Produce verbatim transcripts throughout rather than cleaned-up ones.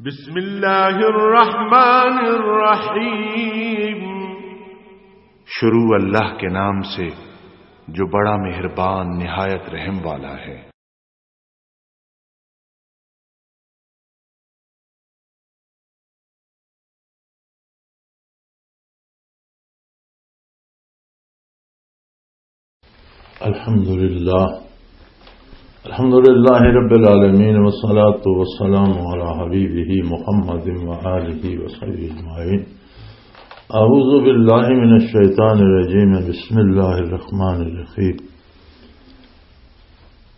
بسم اللہ الرحمن الرحیم۔ شروع اللہ کے نام سے، جو بڑا مہربان، نہایت رحم والا ہے۔ الحمد لله. الحمد لله رب العالمين، والصلاة والسلام على حبيبه محمد وآله وصحبه أجمعين. أعوذ بالله من الشيطان الرجيم. بسم الله الرحمن الرحيم.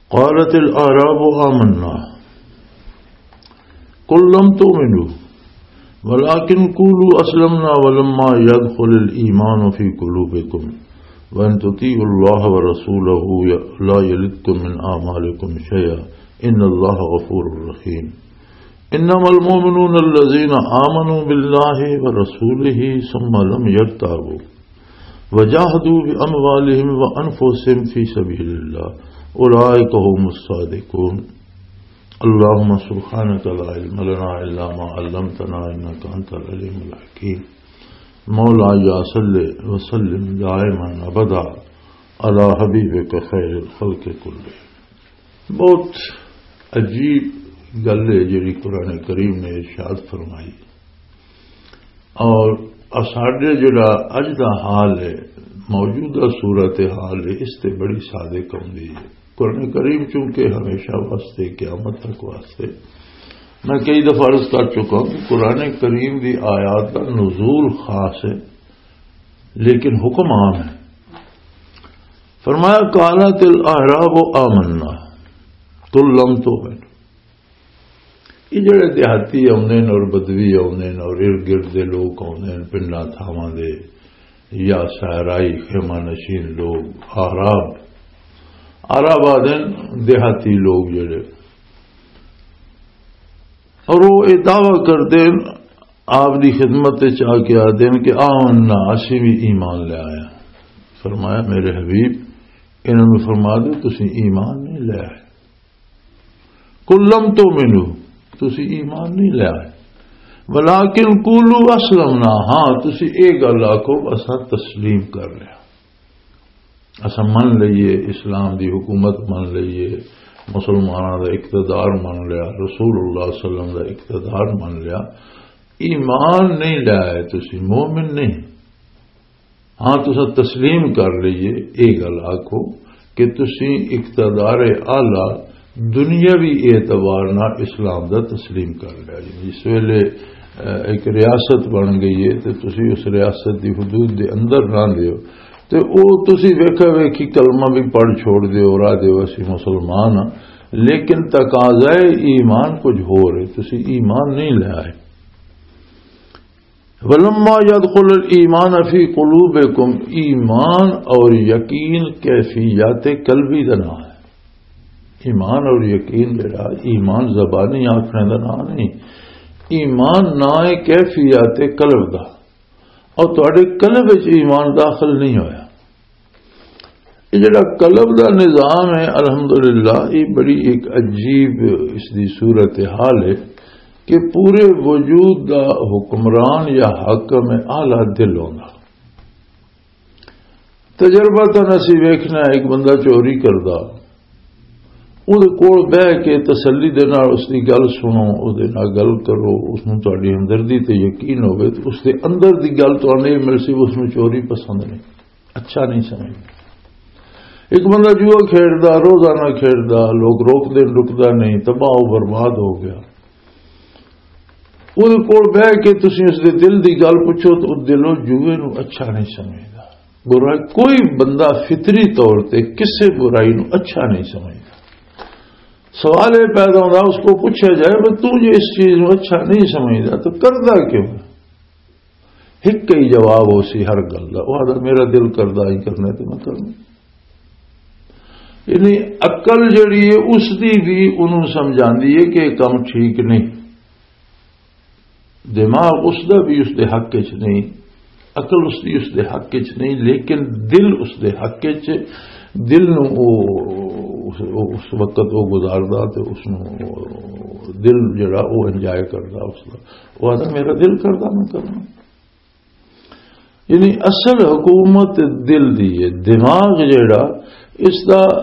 قالت الأعراب آمنا، قل لم تؤمنوا ولكن قولوا أسلمنا ولما يدخل الإيمان في قلوبكم وإن تطيعوا الله ورسوله لا يلدكم من أعمالكم شيئا إن الله غفور رحيم. إنما المؤمنون الذين آمنوا بالله ورسوله ثم لم يرتابوا وجاهدوا بأموالهم وأنفسهم في سبيل الله أولئك هم الصادقون. اللهم سبحانك لا علم لنا إلا ما علمتنا إنك أنت العليم الحكيم. مولاي صل وسلم دائما أبدا على حبيبك خير الخلق كلهم. بہت عجیب گل ہے جڑی قرآن کریم نے ارشاد فرمائی، اور اساڈے جڑا اج دا حال ہے، موجودہ صورت حال ہے، اس تے بڑی صادق آؤندی ہے۔ قرآن کریم چونکہ ہمیشہ واسطے، قیامت تک واسطے، میں کئی دفعہ عرض کر چکا ہوں کہ قرآن کریم دی آیات دا نزول خاص ہے، لیکن حکم عام ہے۔ فرمایا، "قالت الاعراب آمنا، قل لم تؤمنوا۔" یہ جڑے دیہاتی آؤندے نے اور بدوی آؤندے نے اور ارد گرد دے لوگ آؤندے نے، پنڈاں تھاواں دے یا صحرائی خیمہ نشین لوگ، اعراب، اعراب آدھے نے دیہاتی لوگ جڑے، اور وہ یہ دعویٰ کردے نے، آپ دی خدمت وچ آ کے آدھے نے کہ آمنا، اسی بھی ایمان لے آئے ہیں۔ فرمایا، میرے حبیب، انہاں نوں فرما دو، تسی ایمان نہیں لے آئے۔ قل لم تؤمنوا، تسی ایمان نہیں لے آئے۔ ولکن قولوا اسلمنا، ہاں، تسی اے گل آکھو، اساں تسلیم کر لیا، اساں من لئیے، اسلام دی حکومت من لئیے، مسلماناں دا اقتدار من لیا، رسول اللہ صلی اللہ علیہ وسلم دا اقتدار من لیا۔ ایمان نہیں لے آئے، تسی مومن نہیں۔ ہاں، تساں تسلیم کر لئیے، اے گل آکھو کہ تسیں اقتدار اعلیٰ دنیاوی اعتبار نال اسلام دا تسلیم کر لیا۔ یعنی اس ویلے، اہ، ایک ریاست بن گئی ہے تے تسی اس ریاست دی حدود دے اندر رہندے ہو، تے او تسی ویکھا ویکھی کلمہ بھی پڑھ چھوڑ دے ہو، راہ دے ہو، "اسی مسلمان ہاں"، لیکن تقاضائے ایمان کچھ ہور ہے، تسی ایمان نہیں لے آئے۔ ولما يدخل الإيمان في قلوبكم، ایمان اور یقین کیفیات قلبی دا نام ہے۔ ایمان اور یقین جڑا، ایمان زبانی آکھنے دا نام نہیں، ایمان نام ہے کیفیات قلب دا، اور تہاڈے قلب وچ ایمان داخل نہیں ہویا۔ یہ جڑا قلب دا نظام ہے، الحمدللہ، یہ بڑی ایک عجیب اس دی صورت حال ہے کہ پورے وجود دا حکمران یا حاکم اعلیٰ دل ہوندا۔ تجربہ تاں اسی ویکھنا، ایک بندہ چوری کردا، اودے کول بہ کے تسلی دے نال اس دی گل سنو، اودے نال گل کرو، اس نوں تہاڈی ہمدردی تے یقین ہوے، تے اس دے اندر دی گل تہانوں یہ ملسی، اس نوں چوری پسند نہیں، اچھا نہیں سمجھدا۔ ایک بندہ جوا کھیڈدا، روزانہ کھیڈدا، لوگ روک دے، رکدا نہیں، تباہ و برباد ہو گیا۔ اودے کول بہ کے تسی اس دے دل دی گل پوچھو، تو دلوں جوئے نوں اچھا نہیں سمجھدا۔ برائی، کوئی بندہ فطری طور تے کسے برائی نوں اچھا نہیں سمجھدا۔ سوال یہ پیدا ہوندا، اس کو پوچھا جائے، "بھئی، تو جو اس چیز نوں اچھا نہیں سمجھدا، تو کردا کیوں ہے؟" ایک ہی جواب ہو سی ہر گل دا، وہ آدھا، "میرا دل کردا ہی کرنا، تو میں کرنا۔" یعنی عقل جڑی ہے، اس دی بھی انہوں سمجھاندی ہے کہ یہ کم ٹھیک نہیں۔ دماغ اس دا بھی اس دے حق وچ نہیں، عقل اس دی اس دے حق وچ نہیں، لیکن دل اس دے حق وچ، دل نو او اس وقت وہ گزاردا تے اس نوں دل جڑا وہ انجوائے کردا، اس دا وہ آتا میرا دل کردا میں کرنا۔ یعنی اصل حکومت دل دی ہے، دماغ جڑا اس دا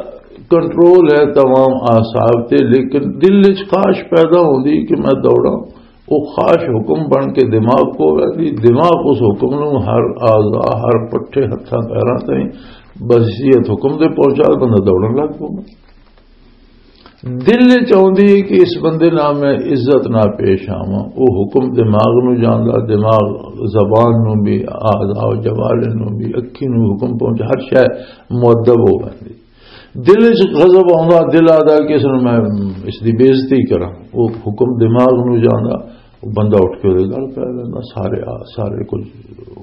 کنٹرول ہے تمام اعصاب تے، لیکن دل وچ خواہش پیدا ہوندی کہ میں دوڑاں، وہ خواہش حکم بن کے دماغ کو ویندی، دماغ اس حکم نوں ہر اعضا، ہر پٹھے ہتھاں پیراں تائیں بحیثیت حکم دے پہنچا، بندہ دوڑن لگ پوندا۔ دل وچ آوندی ہے کہ اس بندے نال میں عزت نال پیش آواں۔ او حکم دماغ نو جاندا، دماغ زبان نو بھی، اعضاء و جوارح نو بھی، اکھی نو حکم پہنچ، ہر شے مؤدب ہو ویندی۔ دل وچ غضب آوندا، دل آدا کہ اس نو میں اس دی بے عزتی کراں۔ او حکم دماغ نو جاندا، او بندہ اٹھ کے اودے گل پہ لیندا، سارے آ-، سارے کچھ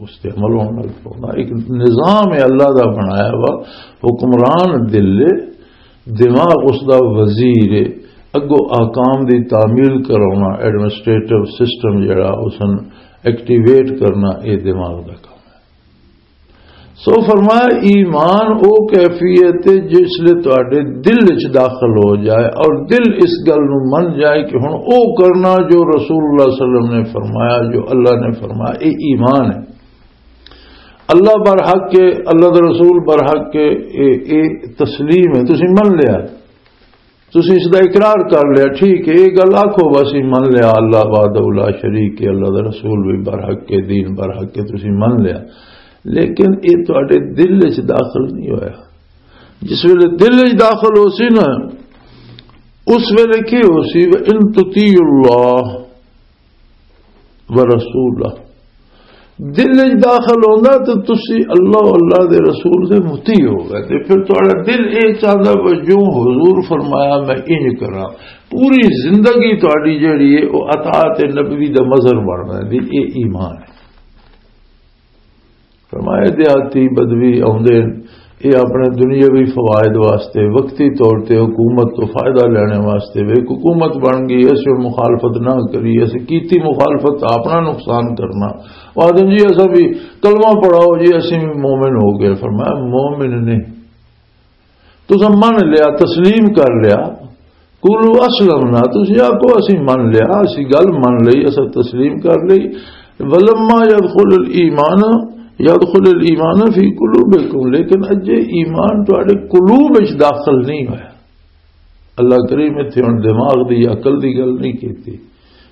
اس تے عمل ہون لگ پوندا۔ ایک نظام ہے اللہ دا بنایا ہوا، حکمران دل ہے، دماغ اس دا وزیر ہے، اگو احکام دی تعمیل کرانا، ایڈمنسٹریٹو سسٹم جڑا اس نوں ایکٹیویٹ کرنا، اے دماغ دا کام ہے۔ سو فرمایا، ایمان او کیفیت ہے جس لے تواڈے دل وچ داخل ہو جائے اور دل اس گل نوں من جائے کہ ہن او کرنا جو رسول اللہ صلی اللہ علیہ وسلم نے فرمایا، جو اللہ نے فرمایا، اے ایمان ہے۔ اللہ برحق ہے، اللہ دا رسول برحق ہے، اے، اے تسلیم ہے، تسی من لیا، تسی اس دا اقرار کر لیا، ٹھیک ہے، اے گل آکھو بس ہی من لیا، اللہ وحدہ لا شریک ہے، اللہ دا رسول بھی برحق ہے، دین برحق ہے، تسی من لیا، لیکن اے تواڈے دل وچ داخل نہیں ہویا۔ جس ویلے دل وچ داخل ہو سی نا، اس ویلے کی ہو سی؟ وَإِن تُطِيعُوا اللَّهَ وَرَسُولَهُ۔ دل وچ داخل ہوندا تے تسی اللہ و اللہ دے رسول دے مطیع ہو گئے، تے پھر تہاڈا دل اے چاہندا بھی جو حضور فرمایا میں انج کراں۔ پوری زندگی تہاڈی جیڑی ہے، او اطاعت نبوی دا مظہر بن ویندی۔ اے ایمان ہے۔ فرمایا، دیہاتی بدوی آوندے ہن، اے اپنے دنیاوی فوائد واسطے، وقتی طور تے حکومت تو فائدہ لینے واسطے، وے حکومت بن گئی، اسے ہن مخالفت نہ کری، اسے کیتی مخالفت، اپنا نقصان کرنا۔ وہ آدم جی، اسا بھی کلمہ پڑھاؤ جی، اسے بھی مومن ہو گئے۔ فرمایا، مومن نہیں، تساں من لیا، تسلیم کر لیا۔ قولوا اسلمنا، تساں آکھو اسی من لیا، اسی گل من لئی، اساں تسلیم کر لئی۔ ولما يدخل الايمان، يدخل الايمان في قلوبكم، لیکن اجے ایمان تواڈے قلوب وچ داخل نہیں ہویا۔ اللہ کریم اتھے ہن دماغ دی، عقل دی گل نہیں کیتی۔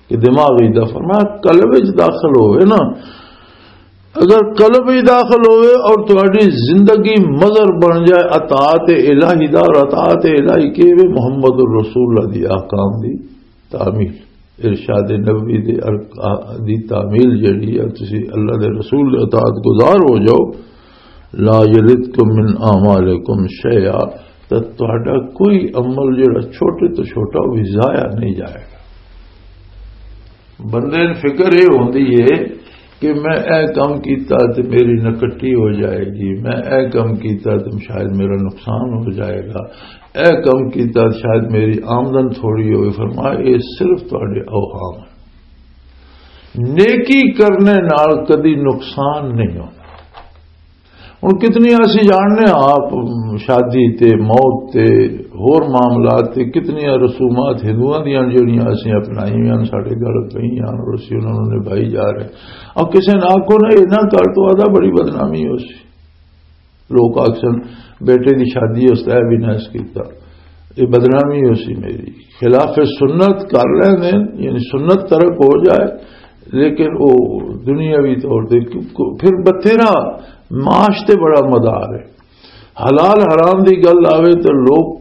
کہ دماغ وچ دا، فرمایا قلب وچ داخل ہوئے نا، اگر قلب وچ داخل ہوئے اور تہاڈی زندگی مظہر بن جائے اطاعت الہی دا، اور اطاعت الہی کے وے؟ محمد الرسول اللہ دی احکام دی تعمیل، ارشاد نبوی دے ارک-، دی تعمیل جڑی ہے، تسی اللہ دے رسول دے اطاعت گزار ہو جاؤ، لا یلدکم من اعمالکم شیئا، تے تہاڈا کوئی عمل جڑا چھوٹے تو چھوٹا، وہ بھی ضائع نہیں جائے گا۔ بندے نوں فکر یہ ہوندی ہے کہ میں اے کام کیتا تے میری نکٹی ہو جائے گی، میں اے کام کیتا تے شاید میرا نقصان ہو جائے گا، اے کام کیتا شاید میری آمدن تھوڑی ہوئے۔ فرمایا، یہ صرف تہاڈے اوہام ہیں۔ نیکی کرنے نال کدی نقصان نہیں ہونا۔ ہن کتنی اسی جاننے ہاں آپ، شادی تے، موت تے، ہور معاملات تے کتنی رسومات ہندوؤں دیاں جڑیاں اسی اپنائی ہوئیاں، ساڈے گھر پئی ہیں اور اسی انہاں نوں نبھائی جا رہے ہیں۔ اب کسے نہ آکھو نا، یہ نہ کر تو آدھا بڑی بدنامی ہو سی۔ لوگ آکھن، بیٹے دی شادی اس طرح بھی نہ اس کیتا، یہ بدنامی ہو سی میری۔ خلاف سنت کر لیندے، یعنی سنت ترک ہو جائے، لیکن وہ دنیاوی طور تے پھر بتھیرا معاش تے بڑا مدار ہے۔ حلال حرام دی گل آوے تے لوگ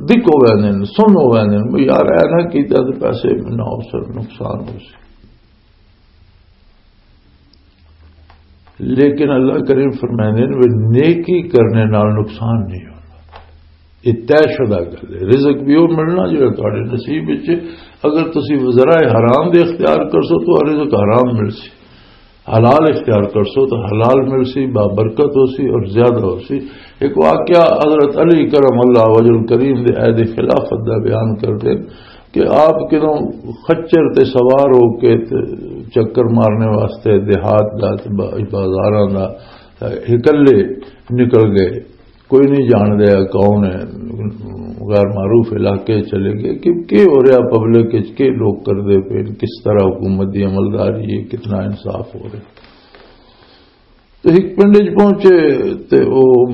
دکھ ہو ویندے نے، سن ہو ویندے نے، "یار، اے نہ کیتا تے پیسے نہ ہو سر، نقصان ہو سی۔" لیکن اللہ کریم فرمائندے نے، "وہ نیکی کرنے نال نقصان نہیں ہونا۔" یہ طے شدہ گل ہے۔ رزق بھی وہ ملنا جڑا تہاڈے نصیب وچ ہے۔ اگر تسی ذرائع حرام دے اختیار کرسو تو رزق حرام مل سی، حلال اختیار کرسو تو حلال مل سی، بابرکت ہو سی اور زیادہ ہو سی۔ ایک واقعہ حضرت علی کرم اللہ وجہ الکریم دے عہد خلافت دا بیان کر دے کہ آپ کدوں خچر تے سوار ہو کے تے چکر مارنے واسطے دیہات دا تے با-، بازاراں دا، اکلے نکل گئے۔ کوئی نہیں جان رہا کون ہے، غیر معروف علاقے چلے گئے کہ کی ہو رہا، پبلک وچ کی لوگ کردے پے، کس طرح حکومت دی عملداری ہے، کتنا انصاف ہو رہا۔ تے ایک پنڈ وچ پہنچے تے او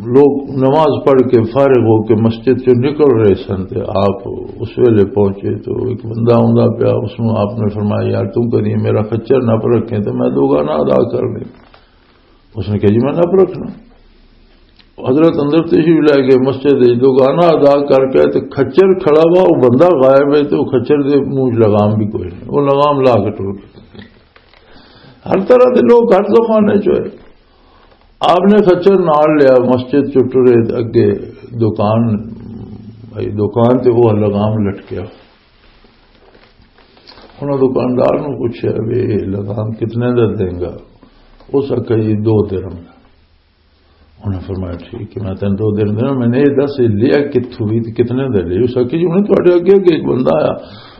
لوگ نماز پڑھ کے فارغ ہو کے مسجد چوں نکل رہے سن، تے آپ اس ویلے پہنچے تو ایک بندہ آندا پیا، اس نوں آپ نے فرمایا، "یار، تم کدی میرا خچر نہ رکھیں تو میں دو گانا ادا کر لیں۔" اس نے کہا، "جی، میں نپ رکھنا۔" حضرت اندر تشریف لے گئے، مسجد وچ دو گانا ادا کر کے تے کھچر کھڑا ہوا، وہ بندہ غائب ہے تے وہ کھچر دے منہ وچ لگام بھی کوئی نہیں، وہ لگام لا کے ٹر گیا۔ ہر طرح دے لوگ ہر زمانے چ ہوئے۔ آپ نے کھچر نال لیا، مسجد چ ٹرے، اگے دکان، دکان تے وہ لگام لٹکیا۔ انہاں دکاندار نوں پوچھیا، "وی لگام کتنے دا دیں گا؟" اس آکھیا، "جی، دو درم دا۔" انہاں فرمایا، "ٹھیک ہے، میں تینوں دو درم دینا، میں نے یہ دس لیا کتھوں بھی تے کتنے دا لیا؟" اس آکھیا، "جی، انہیں تواڈے اگے اگے ایک بندہ آیا،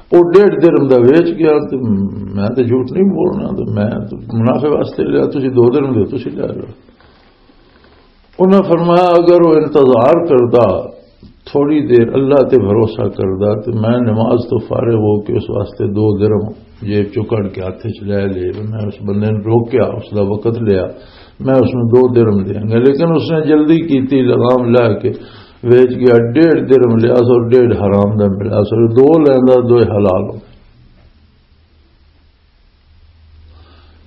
وہ ڈیڑھ درم دا ویچ گیا، تے میں تے جھوٹ نہیں بولنا، تے میں تے منافع واسطے لیا، تسی دو درم دے، تسی لے لو۔" انہاں فرمایا، "اگر وہ انتظار کردا، تھوڑی دیر اللہ تے بھروسہ کردا، تے میں نماز تو فارغ ہو کے اس واسطے دو درم جیب چوں کڈ کے ہاتھ وچ لے لے، میں اس بندے نوں روکیا، اس دا وقت لیا، میں اس نوں دو درم دیاں گا۔" لیکن اس نے جلدی کیتی، لگام لا کے ویچ گیا، ڈیڑھ درم لیا سو، ڈیڑھ حرام دا ملا سو، دو لیندا، دو حلال ہو۔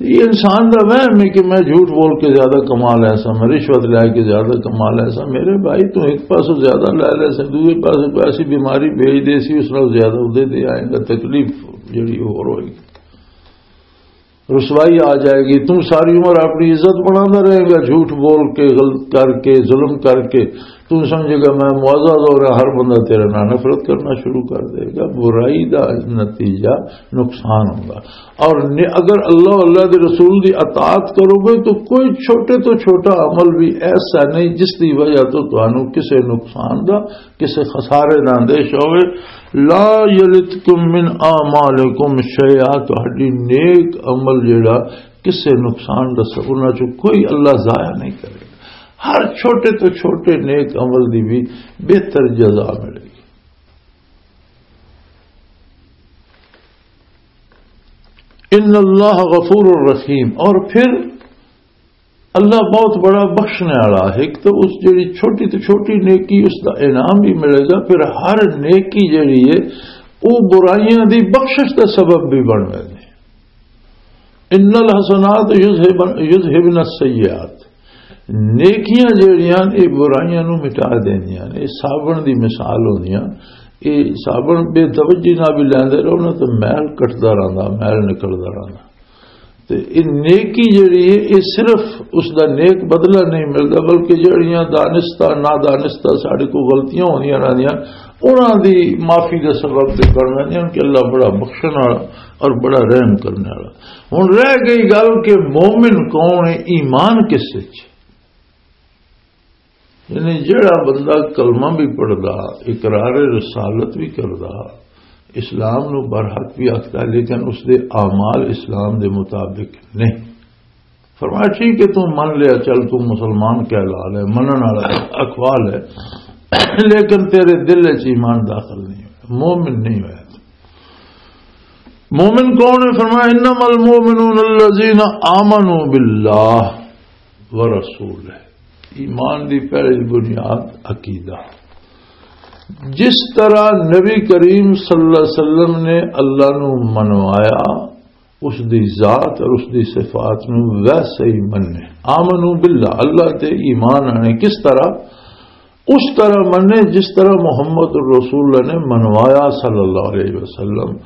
یہ انسان دا وہم ہے کہ میں جھوٹ بول کے زیادہ کما لے سا، میں رشوت لے کے زیادہ کما لے سا۔ میرے بھائی، تو ایک پاسوں زیادہ لے لے سا، دوسرے پاسوں کوئی ایسی بیماری بھیج دے سی، اس نال زیادہ ادے دے آئے گا، تکلیف جڑی ہور ہوئے گی، رسوائی آ جائے گی۔ تو ساری عمر اپنی عزت بناتا رہے گا، جھوٹ بول کے، غلط کر کے، ظلم کر کے۔ تو سمجھے گا میں معزز ہو رہا، ہر بندہ تیرے نال نفرت کرنا شروع کر دے گا۔ برائی دا نتیجہ نقصان ہوگا۔ اور نے-، اگر اللہ، اللہ دے رسول دی اطاعت کرو گے تو کوئی چھوٹے تو چھوٹا عمل بھی ایسا نہیں جس دی وجہ تو تانوں کسے نقصان دا، کسے خسارے دا اندیشہ ہوئے۔ "لا یلتکم من اعمالکم شیئا"، تہاڈی نیک عمل جڑا کسے نقصان دا سبب، انہاں چوں کوئی اللہ ضائع نہیں کرے گا۔ ہر چھوٹے تو چھوٹے نیک عمل دی بھی بہتر جزا ملے گی۔ ان اللہ غفور الرحیم، اور پھر اللہ بہت بڑا بخشنے والا ہے۔ ایک تو اس جڑی چھوٹی تو چھوٹی نیکی، اس دا انعام بھی ملے گا، پھر ہر نیکی جڑی ہے، وہ برائیاں دی بخشش دا سبب بھی بن ویندے۔ ان الحسنات یذہبن، یذہبن السیئات، نیکیاں جڑیاں، یہ برائیاں نو مٹا دیندیاں نے۔ یہ صابن دی مثال ہوندیاں، یہ صابن بے توجہی نال بھی لیندے رہو نا، تو میل کٹدا رہندا، میل نکلدا رہندا۔ تے یہ نیکی جڑی ہے، یہ صرف اس دا نیک بدلہ نہیں ملدا، بلکہ جڑیاں دانستہ، نادانستہ ساڈے کو غلطیاں ہوندیاں رہندیاں، انہاں دی معافی دا سبب تے بن ویندیاں کہ اللہ بڑا بخشن والا اور بڑا رحم کرنے والا۔ ہن رہ گئی گل کہ مومن کون ہے، ایمان کس وچ؟ یعنی جڑا بندہ کلمہ بھی پڑھدا، اقرار رسالت بھی کردا، اسلام نو برحق بھی آکھدا، لیکن اس دے اعمال اسلام دے مطابق نہیں۔ فرمایا، "ٹھیک ہے، تو من لیا، چل، تو مسلمان کہلا لے، منن والا اقوال ہے، لیکن تیرے دل وچ ایمان داخل نہیں ہویا، مومن نہیں ہویا تو۔" مومن کون ہے؟ فرمایا، "انما المؤمنون الذین آمنوا باللہ ورسولہ۔" ایمان دی پہلی بنیاد عقیدہ۔ جس طرح نبی کریم صلی اللہ علیہ وسلم نے اللہ نو منوایا، اس دی ذات اور اس دی صفات نو ویسے ہی مننے۔ آمنو باللہ، اللہ تے ایمان آنے۔ کس طرح؟ اس طرح مننے جس طرح محمد الرسول اللہ نے منوایا صلی اللہ علیہ وسلم،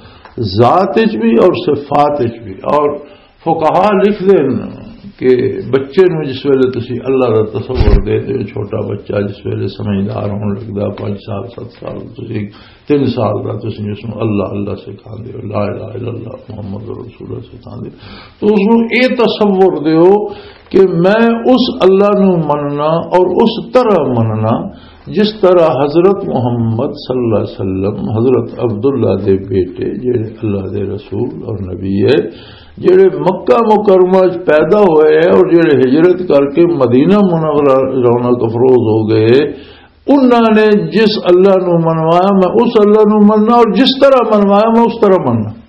ذات وچ بھی اور صفات وچ بھی۔ اور فقہا لکھ دین کہ بچے نو جس ویلے تسی اللہ دا تصور دے دے، چھوٹا بچہ جس ویلے سمجھدار ہون لگدا، پانچ سال، ست سال، تسی تین سال دا تسی اس نو اللہ اللہ سکھاندے ہو، لا الہ الا اللہ محمد رسول اللہ سکھاندے ہو، تو اس نو اے تصور دے ہو کہ میں اس اللہ نو مننا اور اس طرح مننا جس طرح حضرت محمد صلی اللہ علیہ وسلم، حضرت عبداللہ دے بیٹے، جڑے اللہ دے رسول اور نبی ہے، جڑے مکہ مکرمہ وچ پیدا ہوئے ہیں اور جڑے ہجرت کر کے مدینہ منورہ رونق افروز ہو گئے، انہاں نے جس اللہ نو منوایا، میں اس اللہ نو مننا، اور جس طرح منوایا، میں اس طرح مننا۔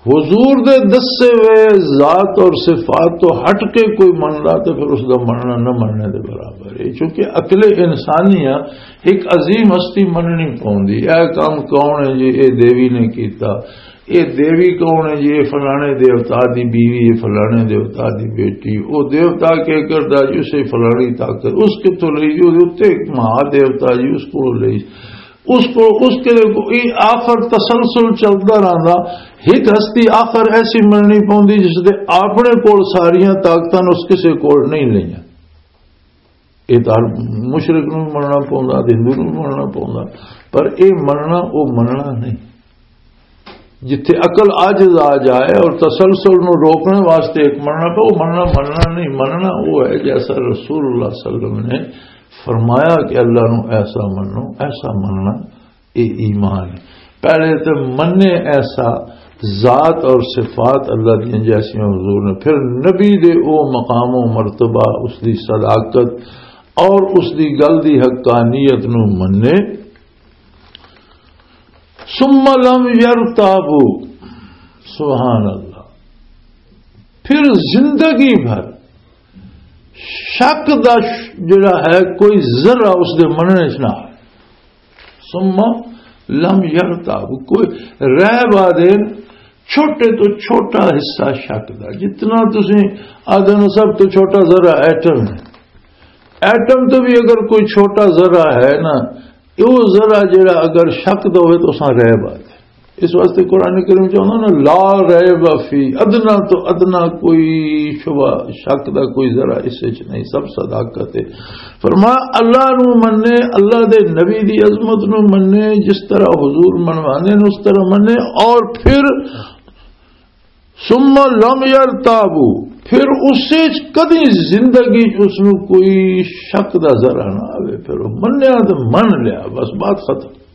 حضور دے دسے ہوئے ذات اور صفات تو ہٹ کے کوئی مننا، تو پھر اس دا مننا نہ مننے دے برابر ہے، چونکہ عقل انسانی آ، ایک عظیم ہستی مننی پوندی۔ اے کام کون ہے جی؟ اے دیوی نے کیتا۔ اے دیوی کون ہے جی؟ اے فلانے دیوتا دی بیوی، اے فلانے دیوتا دی بیٹی۔ او دیوتا کے کردا جی؟ اسے فلانی طاقت اس کتھوں لئی جی؟ او دے اُتے ایک مہا دیوتا جی، اس کولوں لئی۔ اس کو، اس کے لیے کوئی آخر تسلسل چلدا رہندا۔ ایک ہستی آخر ایسی مننی پوندی جس دے اپنے کول ساریاں طاقتاں نے، اس کسے کول نہیں لئیاں۔ یہ تو ہر مشرک نوں بھی مننا پوندا، ہندو نوں بھی مننا پوندا، پر یہ مننا، وہ مننا نہیں۔ جتھے عقل عاجز آ جائے اور تسلسل نوں روکنے واسطے ایک مننا پے، وہ مننا، مننا نہیں۔ مننا وہ ہے جیسا رسول اللہ صلی اللہ علیہ وسلم نے فرمایا کہ اللہ نو ایسا منو، ایسا مننا، یہ ایمان ہے۔ پہلے تو منے ایسا ذات اور صفات اللہ دیا جیسیاں حضور نے، پھر نبی دے او مقام و مرتبہ، اس دی صداقت اور اس دی گل دی حقانیت نو منے۔ ثم لم يرتابوا، سبحان اللہ، پھر زندگی بھر شک دا ش-، جڑا ہے، کوئی ذرہ اس دے مننے چ نہ آئے۔ ثم لم يرتابوا، کوئی رہ بادے چھوٹے تو چھوٹا حصہ شک دا، جتنا تسی آدھے نو سب تو چھوٹا ذرہ ایٹم ہے۔ ایٹم تو بھی اگر کوئی چھوٹا ذرہ ہے نا، وہ ذرہ جڑا اگر شک دا ہوئے تو اساں رہ بات ہے۔ اس واسطے قرآن کریم چ آندا نا، "لا ریب فی"، ادنا تو ادنا کوئی شبہ، شک دا کوئی ذرہ اس وچ نہیں، سب صداقت ہے۔ فرمایا، اللہ نو منے، اللہ دے نبی دی عظمت نو منے، جس طرح حضور منوانے نے اس طرح منے، اور پھر ثم لم يرتابوا، پھر اس وچ کدی زندگی چ اس نو کوئی شک دا ذرہ نہ آوے، پھر وہ منیا تے من لیا، بس بات ختم۔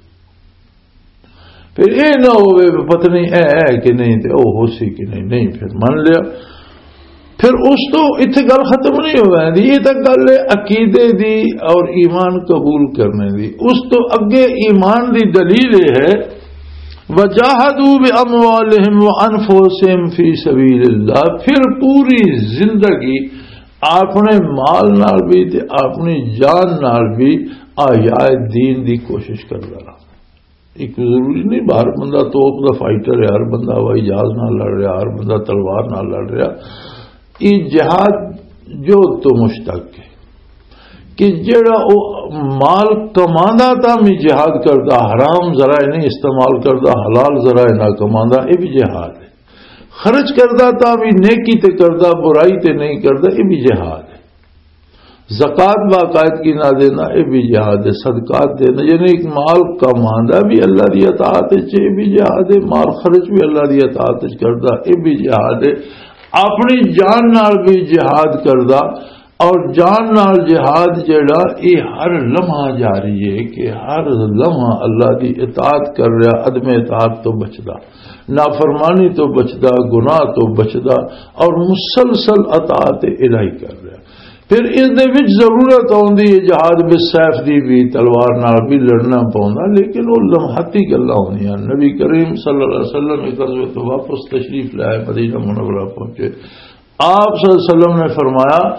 پھر اے نہ ہووے بھی پتہ نہیں اے ہے کہ نہیں تے او ہو سی کہ نہیں، نہیں، پھر من لیا۔ پھر اس تو اتھے گل ختم نہیں ہو ویندی، یہ تک گل ہے عقیدے دی اور ایمان قبول کرنے دی۔ اس تو اگے ایمان دی دلیل یہ ہے، "وجاہدوا باموالہم وانفسہم فی سبیل اللہ"، پھر پوری زندگی اپنے مال نال بھی تے اپنی جان نال بھی احیاء دین دی کوشش کردا رہا۔ ایک ضروری نہیں، ہر بندہ توپ دا فائٹر ہے، ہر بندہ ہوائی جہاز نال لڑ رہا، ہر بندہ تلوار نال لڑ رہا۔ یہ جہاد جو تو مشتق ہے کہ جڑا او مال کماندا تاں بھی جہاد کردا، حرام ذرائع نہیں استعمال کردا، حلال ذرائع نہ کماندا، یہ بھی جہاد ہے۔ خرچ کردا تاں بھی نیکی تے کردا، برائی تے نہیں کردا، یہ بھی جہاد ہے۔ زکوٰۃ باقاعدگی نہ دینا، یہ بھی جہاد ہے۔ صدقات دینا، یعنی ایک مال کماندا بھی اللہ دی اطاعت وچ، یہ بھی جہاد ہے۔ مال خرچ بھی اللہ دی اطاعت وچ کردا، یہ بھی جہاد ہے۔ اپنی جان نال بھی جہاد کردا، اور جان نال جہاد جڑا، یہ ہر لمحہ جاری ہے کہ ہر لمحہ اللہ دی اطاعت کر رہا، عدم اطاعت تو بچدا، نافرمانی تو بچدا، گناہ تو بچدا، اور مسلسل اطاعت الہی کر رہا۔ پھر اس دے وچ ضرورت آندی ہے جہاد بالسیف دی بھی، تلوار نال بھی لڑنا پوندا، لیکن وہ لمحاتی گلاں ہوندیاں۔ نبی کریم صلی اللہ علیہ وسلم ایک غزوے تو واپس تشریف لائے مدینہ منورہ پہنچے، آپ صلی اللہ علیہ وسلم نے فرمایا،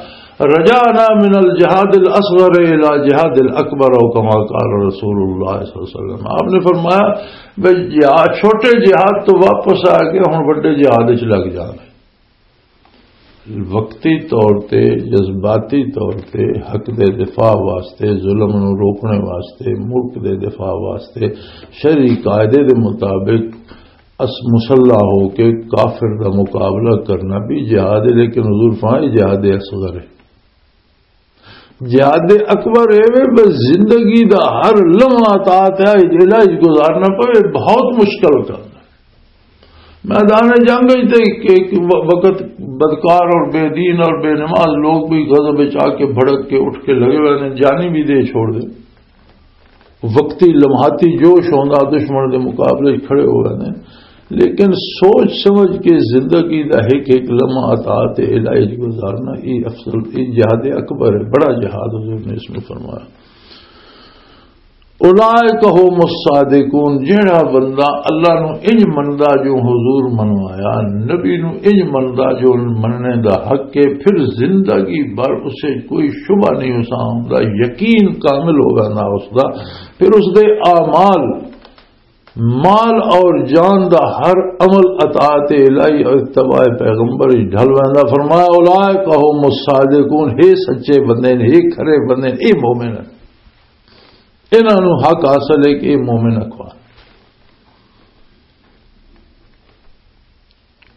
"رجعنا من الجہاد الاصغر الی جہاد الاکبر"، او کما قال رسول اللہ صلی اللہ علیہ وسلم۔ آپ نے فرمایا، "بھئی، جہاد، چھوٹے جہاد تو واپس آ کے ہن بڑے جہاد وچ لگ جانا ہے۔" وقتی طور تے، جذباتی طور تے حق دے دفاع واسطے، ظلم نو روکنے واسطے، ملک دے دفاع واسطے، شرعی قاعدے دے مطابق اس مسلح ہو کے کافر دا مقابلہ کرنا بھی جہاد ہے، لیکن حضور فرمایا جہاد اصغر ہے۔ جہاد اکبر اے وے بس زندگی دا ہر لمحہ اطاعت ہے، جیلا گزارنا پوے، بہت مشکل کم ہے۔ میدان جنگ وچ تے ایک، ایک و-، وقت بدکار اور بے دین اور بے نماز لوگ بھی غضب وچ آ کے بھڑک کے اٹھ کے لگے ہوئے نے، جانی بھی دے چھوڑ دے۔ وقتی لمحاتی جوش ہوندا دشمن دے مقابلے وچ کھڑے ہوئے نے، لیکن سوچ سمجھ کے زندگی دا ایک ایک لمحہ اطاعت الہی وچ گزارنا، یہ افضل، یہ جہاد اکبر ہے، بڑا جہاد حضور نے اس میں فرمایا۔ اولئک هم الصادقون، جیڑا بندہ اللہ نو انج مندا جو حضور منوایا، نبی نو انج مندا جو مننے دا حق ہے، پھر زندگی بھر اسے کوئی شبہ نہیں، اسا ہوندا یقین کامل ہو ویندا اس دا، پھر اس دے اعمال، مال اور جان دا ہر عمل اطاعت الہی اور اتباع پیغمبر وچ ڈھل ویندا۔ فرمایا، اولئک هم الصادقون، ہے سچے بندے نے، ہے کھرے بندے نے، اے مومن ہے۔ انہاں نوں حق حاصل ہے کہ اے مومن اقوام۔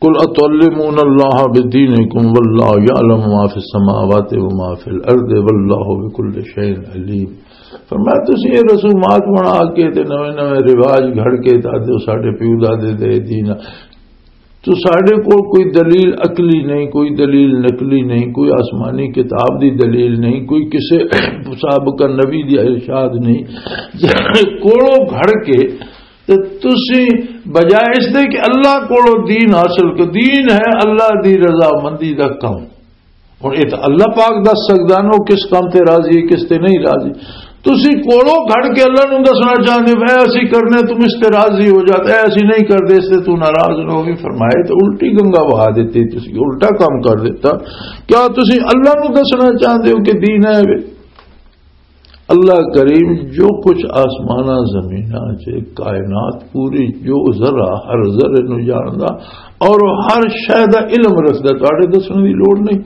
قل اتعلمون اللہ بدینکم واللہ یعلم ما فی السماوات وما فی الارض واللہ بکل شیء علیم۔ فرمایا، تسی یہ رسومات بنا کے تے نویں نویں رواج گھڑ کے تے آدھے ہو ساڈے پیو دادے دے دین، تو ساڈے کول کوئی دلیل عقلی نہیں، کوئی دلیل نقلی نہیں، کوئی آسمانی کتاب دی دلیل نہیں، کوئی کسے سابقہ نبی دی ارشاد نہیں۔ کولو گھڑ کے تے تسی بجائے اس دے کہ اللہ کولو دین حاصل کر، دین ہے اللہ دی رضامندی دا کم۔ ہن اے تاں اللہ پاک دس سکدا نا، او کس کم تے راضی ہے، کس تے نہیں راضی۔ تسی کولو کھڑ کے اللہ نوں دسنا چاہندے ہو، "اے اسی کرنے، تم اس تے راضی ہو جاتے، اے اسی نہیں کردے، اس تے تو ناراض نہ ہوویں۔" فرمائے تے الٹی گنگا بہا دتی، تسی الٹا کام کر دیتا۔ کیا تسی اللہ نوں دسنا چاہندے ہو کہ دین ہے وے؟ اللہ کریم جو کچھ آسماناں زمیناں چ، کائنات پوری، جو ذرہ، ہر ذرے نو جاندا اور ہر شے دا علم رکھدا، تہاڈے دسن دی لوڑ نہیں۔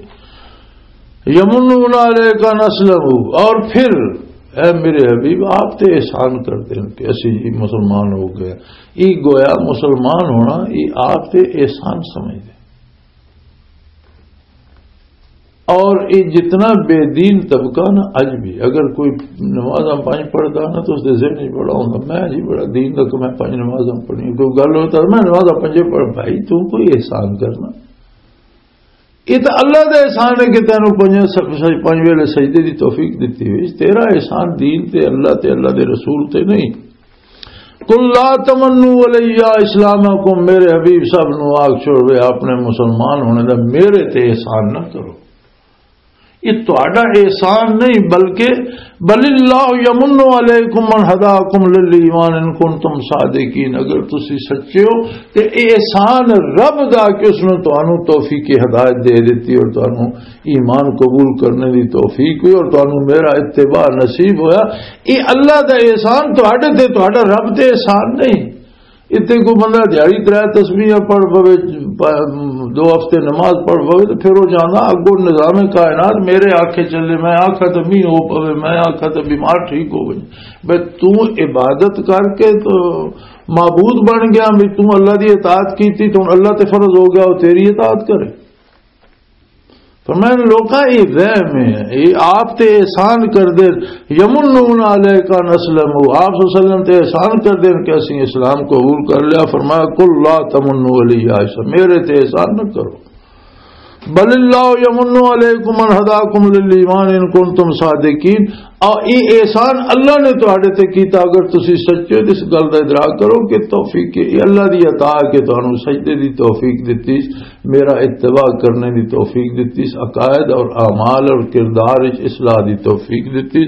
یمنون علیک ان اسلموا، اور پھر اے میرے حبیب، آپ تے احسان کردے ہیں کہ اسی جی مسلمان ہو گئے۔ ای گویا مسلمان ہونا، ای آپ تے احسان سمجھدے۔ اور یہ جتنا بے دین طبقہ نا، اج بھی اگر کوئی نمازاں پنج پڑھدا نا، تو اس دے ذہن وچ بڑا ہوندا، "میں جی بڑا دین دا، کہ میں پنج نمازاں پڑھنی۔" کوئی گل ہوتا، "میں نمازاں پنجے پڑھ۔" بھائی، تو کوئی احسان کرنا؟ یہ تو اللہ دا احسان ہے کہ تینوں پنج س-، س-، پنج ویلے سجدے دی توفیق دتی ہوئی۔ تیرا احسان دین تے اللہ تے اللہ دے رسول تے نہیں۔ "قل لا تمنوا علی اسلامکم"، میرے حبیب صاحب نو آگ چھوڑ وے اپنے مسلمان ہونے دا میرے تے احسان نہ کرو۔ یہ تہاڈا احسان نہیں، بلکہ "بل اللہ یمن علیکم ان ہداکم للایمان ان کنتم صادقین"، اگر تسی سچے ہو تے احسان رب دا کہ اس نے تانوں توفیق ہدایت دے دتی اور تانوں ایمان قبول کرنے دی توفیق ہوئی اور تانوں میرا اتباع نصیب ہویا۔ یہ اللہ دا احسان تہاڈے تے، تہاڈا رب تے احسان نہیں۔ اتنے کوئی بندہ دیہاڑی ترے تسبیحاں پڑھ پوے، پ-، دو ہفتے نماز پڑھ پوے، تو پھر وہ جانا اگوں نظام کائنات میرے آکھے چلے، میں آکھا تو مینہ ہو پوے، میں آکھا تو بیمار ٹھیک ہو گئی۔ بھئی، تو عبادت کر کے تو معبود بن گیا، بھی تو اللہ دی اطاعت کیتی، تو اللہ تے فرض ہو گیا، وہ تیری اطاعت کرے۔ فرمایا، لوکاں، یہ وہم ہے، یہ آپ تے احسان کر دے۔ "یمنون علیک ان اسلموا"، آپ صلی اللہ علیہ وسلم تے احسان کر دے کہ اسی اسلام قبول کر لیا۔ فرمایا، "قل لا تمنوا علی اسلام"، میرے تے احسان نہ کرو۔ "بل اللہ یمن علیکم ان ہداکم للایمان ان کنتم صادقین"، اور یہ احسان اللہ نے تہاڈے تے کیتا، اگر تسی سچے ہو، اس گل دا ادراک کرو کہ توفیق، یہ اللہ دی عطا ہے کہ تانوں سجدے دی توفیق دتی، میرا اتباع کرنے دی توفیق دتی، عقائد اور اعمال اور کردار وچ اصلاح دی توفیق دتی۔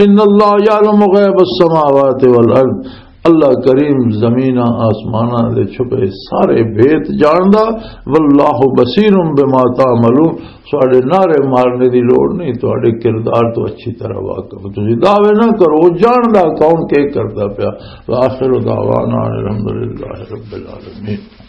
"ان اللہ یعلم غیب السماوات والارض"، اللہ کریم زمیناں آسماناں دے چھپے سارے بھید جاندا۔ "واللہ بصیر بما تعملون"، ساڈے نعرے مارنے دی لوڑ نہیں، تہاڈے کردار تو اچھی طرح واقف۔ تسی دعوے نہ کرو، جاندا کون کے کردا پیا۔ وآخر دعوانا ان الحمدللہ رب العالمین۔